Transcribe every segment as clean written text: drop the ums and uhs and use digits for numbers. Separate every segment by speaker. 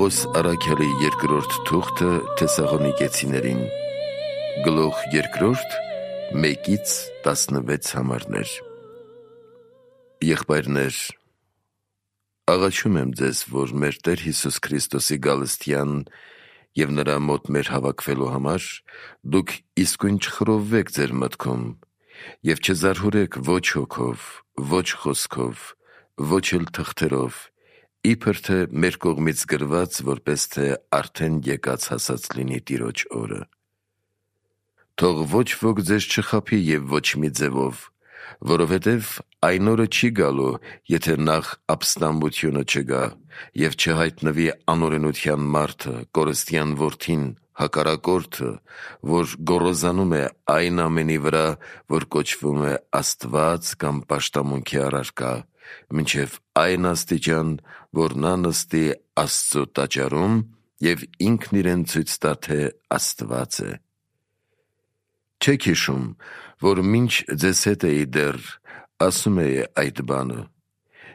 Speaker 1: Պողոս առաքյալի երկրորդ թուղթը Թեսաղոնիկեցիներին, գլուխ 2, 1-16 համարներ։ Եղբայրներ, աղաչում եմ ձեզ, որ մեր Տեր Հիսուս Քրիստոսի գալստյան և նրա մոտ մեր հավաքվելու համար դուք իսկույն չխռովվեք ձեր մտքում և չզարհուրեք ոչ հոգով, ոչ խոսքով, ոչ էլ թղթերով, իբր թե մեր կողմից գրված, որպես թե արդեն եկած հասած լինի Տիրոջ օրը։ Թող ոչ ոք ձեզ չխաբի և ոչ մի ձևով, որովհետև այն օրը չի գալու, եթե նախ ապստամբությունը չգա և չհայտնվի անօրենության մարդը, կորստյան որդին, հակառակորդը, որ գոռոզանում է այն ամենի վրա, որ կոչվում է Աստված կամ պաշտամունքի առարկա, մինչև այն աստիճան, որ նա նստի Աստծո տաճարում և ինքն իրեն ցույց տա, թե Աստված է։ Չեք հիշում, որ մինչ ձեզ հետ էի դեռ, ասում էի այդ բանը,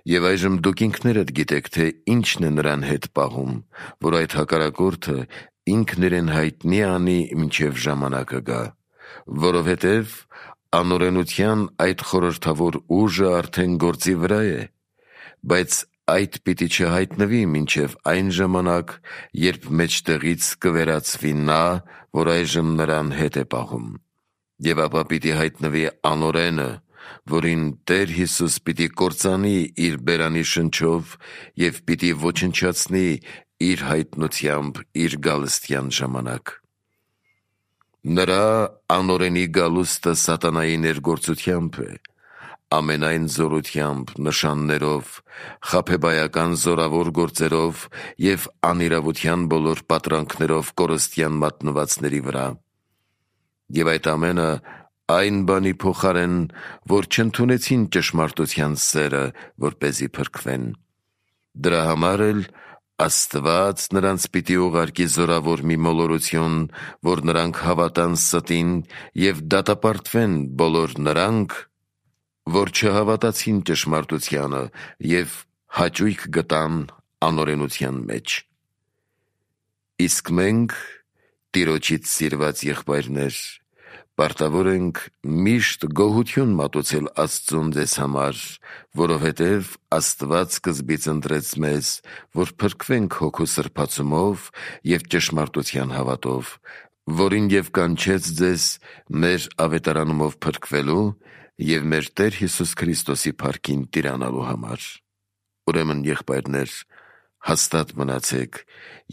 Speaker 1: և այժմ դուք ինքներդ գիտեք, թե ինչն է նրան հետ պահում, որ այդ հակառակորդը ինքն իրեն հայտնի անի, մինչև ժամանակը գա, որովհետև անօրենության այդ խորհրդավոր ուժը արդեն գործի վրա է, բայց այդ պիտի չհայտնվի մինչև այն ժամանակ, երբ մեջտեղից կվերածվի նա, որ այժմ նրան հետ է պահում, և ապա պիտի հայտնվի անօրենը, որին Տեր Հիսուս պիտի կործանի իր բերանի շնչով և պիտի ոչնչացնի իր հայտնությամբ իր գալստյան ժամանակ։ Նրա անօրենի գալուստը սատանայի ներգործությամբ է, ամենայն զորությամբ, նշաններով, խաբեբայական զորավոր գործերով և անիրավության բոլոր պատրանքներով կորստյան մատնվածների վրա։ Եվ այդ ամենը այն բանի փոխարեն, որ չընդունեցին ճշմարտության սերը, որպեսզի փրկվեն։ Դրա համար էլ Աստված նրանց պիտի ուղարկի զորավոր մի մոլորություն, որ նրանք հավատան ստին և դատապարտվեն բոլոր նրանք, որ չհավատացին ճշմարտությանը և հաճույք գտան անօրենության մեջ։ Իսկ մենք, Տիրոջից սիրված եղբայրներ, պարտավոր ենք միշտ գոհություն մատուցել Աստծուն ձեզ համար, որովհետև Աստված սկզբից ընտրեց մեզ, որ փրկվենք հոգու սրբացումով և ճշմարտության հավատով, որին և կանչեց ձեզ մեր ավետարանումով փրկվելու և մեր Տեր Հիսուս Քրիստոսի փառքին տիրանալու համար։ Ուրեմն, եղբայրներ, հաստատ մնացեք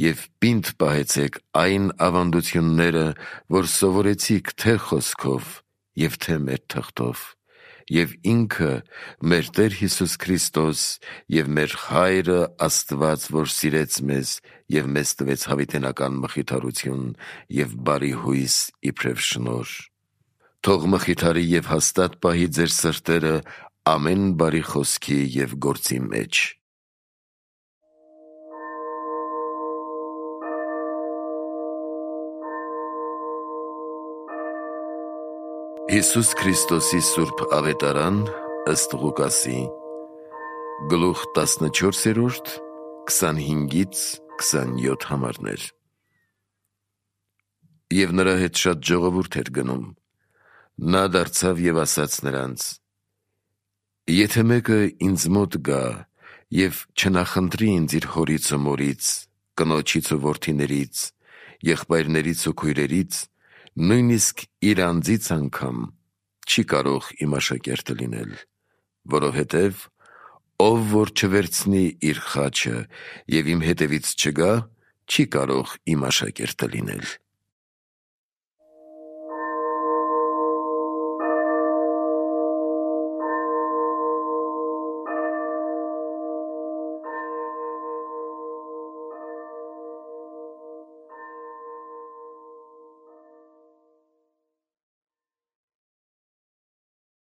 Speaker 1: և պինդ պահեցեք այն ավանդությունները, որ սովորեցիք թե խոսքով և թե մեր թղթով, և ինքը մեր Տեր Հիսուս Քրիստոս և մեր Հայրը Աստված, որ սիրեց մեզ և մեզ տվեց հավիտենական մխիթարություն և բարի հույս իբրև շնորհ, թող մխիթարի և հաստատ պահի ձեր սրտերը ամեն բարի խոսքի և գործի մեջ։ Հիսուս Քրիստոսի սուրբ ավետարան ըստ Ղուկասի, գլուխ 14, 25-27 համարներ։ Եվ նրա հետ շատ ժողովուրդ էր գնում։ Նա դարձավ և ասաց նրանց. «Եթե մեկը ինձ մոտ գա և չնախընտրի ինձ իր հորից ու մորից, կնոջից ու որդիներից, եղբայրներից ու քույրերից, նույնիսկ իր անձից անգամ, չի կարող իմ աշակերտը լինել, որովհետև ով որ չվերցնի իր խաչը և իմ հետևից չգա, չի կարող իմ աշակերտը լինել»։